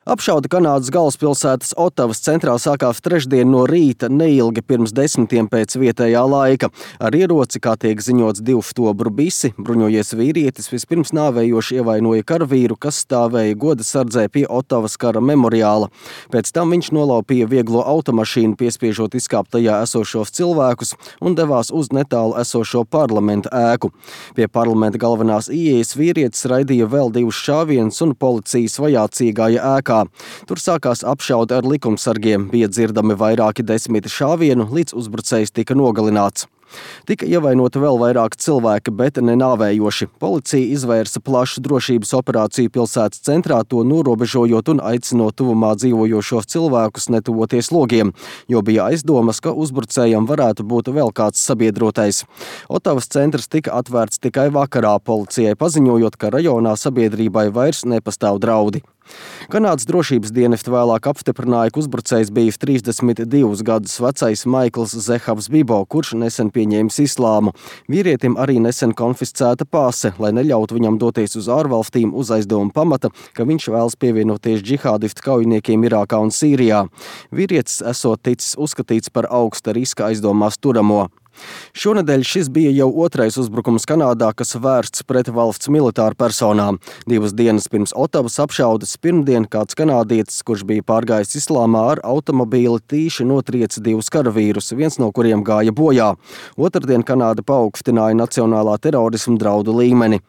Apšaude Kanādas galvaspilsētas Otavas centrā sākās trešdien no rīta neilgi pirms 10 pēc vietējā laika. Ar ieroci, kā tiek ziņots, 2 oktobru bisi, bruņojies vīrietis vispirms nāvējoši ievainoja karavīru, kas stāvēja goda sardzē pie Otavas kara memoriāla. Pēc tam viņš nolaupīja vieglo automašīnu, piespiežot izkāpt tajā esošos cilvēkus un devās uz netālu esošo parlamenta ēku. Pie parlamenta galvenās ieejas vīrietis raidīja vēl 2 šāvienus un policijas vajācīgāja ēkā. Tur sākās apšaude ar likumsargiem, bija dzirdami vairāki 10 šāvienu, līdz uzbrucējs tika nogalināts. Tika ievainoti vēl vairāki cilvēki, bet ne nāvējoši. Policija izvērsa plašu drošības operāciju pilsētas centrā, to norobežojot un aicinot tuvumā dzīvojošos cilvēkus netuvoties logiem, jo bija aizdomas, ka uzbrucējam varētu būt vēl kāds sabiedrotais. Otavas centrs tika atvērts tikai vakarā, policijai paziņojot, ka rajonā sabiedrībai vairs nepastāv draudi. Kanādas drošības dienesti vēlāk apstiprināja, ka uzbrucējs bija 32 gadus vecais Maikls Zehavs Bibo, kurš nesen pieņēmis islāmu. Vīrietim arī nesen konfiscēta pase, lai neļautu viņam doties uz ārvalstīm uz aizdomu pamata, ka viņš vēlas pievienoties džihādistu kaujiniekiem Irākā un Sīrijā. Vīrietis esot ticis uzskatīts par augsta riska aizdomās turamo. Šonedēļ šis bija jau 2. uzbrukums Kanādā, kas vērsts pret valsts militāru personām. 2 dienas pirms Otavas apšaudes pirmdien kāds kanādietis, kurš bija pārgājis islāmā ar automobīli, tīši notrieca 2 karavīrus, viens no kuriem gāja bojā. Otrdien Kanāda paaugstināja nacionālā terorisma draudu līmeni.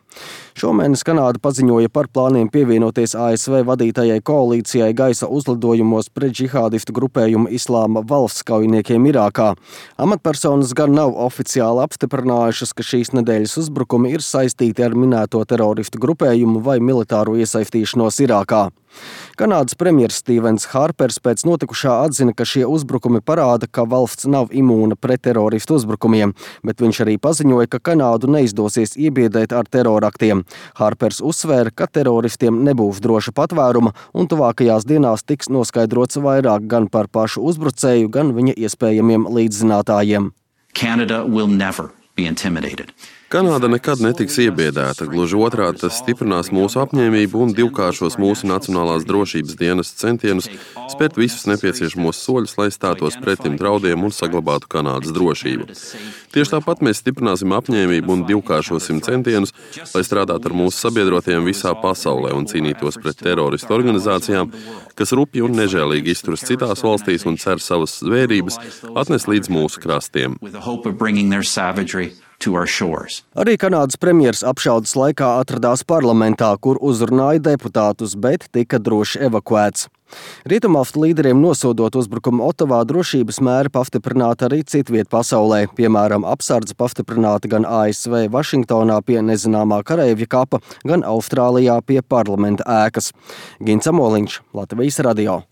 Šomēnes Kanāda paziņoja par plāniem pievienoties ASV vadītajai koalīcijai gaisa uzlidojumos pret džihādistu grupējumu Islāma valsts kaujiniekiem Irākā. Amatpersonas gan nav oficiāli apstiprinājušas, ka šīs nedēļas uzbrukumi ir saistīti ar minēto teroristu grupējumu vai militāro iesaistīšanos Irākā. Kanādas premjers Stevens Harpers pēc notikušā atzina, ka šie uzbrukumi parāda, ka valsts nav imūna pret teroristu uzbrukumiem, bet viņš arī paziņoja, ka Kanādu neizdosies iebiedēt ar teroraktiem. Harpers uzsvēra, ka teroristiem nebūs droša patvēruma un tuvākajās dienās tiks noskaidrots vairāk gan par pašu uzbrucēju, gan viņa iespējamiem līdzzinātājiem. Canada will never be intimidated. Kanāda nekad netiks iebiedēta, gluži otrādi tas stiprinās mūsu apņēmību un divkāršos mūsu nacionālās drošības dienas centienus spērt visus nepieciešamos soļus, lai stātos pretim draudiem un saglabātu Kanādas drošību. Tieši tāpat mēs stiprināsim apņēmību un divkāršosim centienus, lai strādātu ar mūsu sabiedrotiem visā pasaulē un cīnītos pret teroristu organizācijām, kas rupji un nežēlīgi izturas citās valstīs un cer savas zvērības atnest līdz mūsu krastiem. Arī Kanādas premjers apšaudes laikā atradās parlamentā, kur uzrunāja deputātus, bet tika droši evakuēts. Rietumvalstu līderiem nosodot uzbrukumu Otavā, drošības mēri pastiprināta arī citviet pasaulē. Piemēram, apsardze pastiprināta gan ASV Vašingtonā pie nezināmā kareivja kapa, gan Austrālijā pie parlamenta ēkas. Gins Amoliņš, Latvijas radio.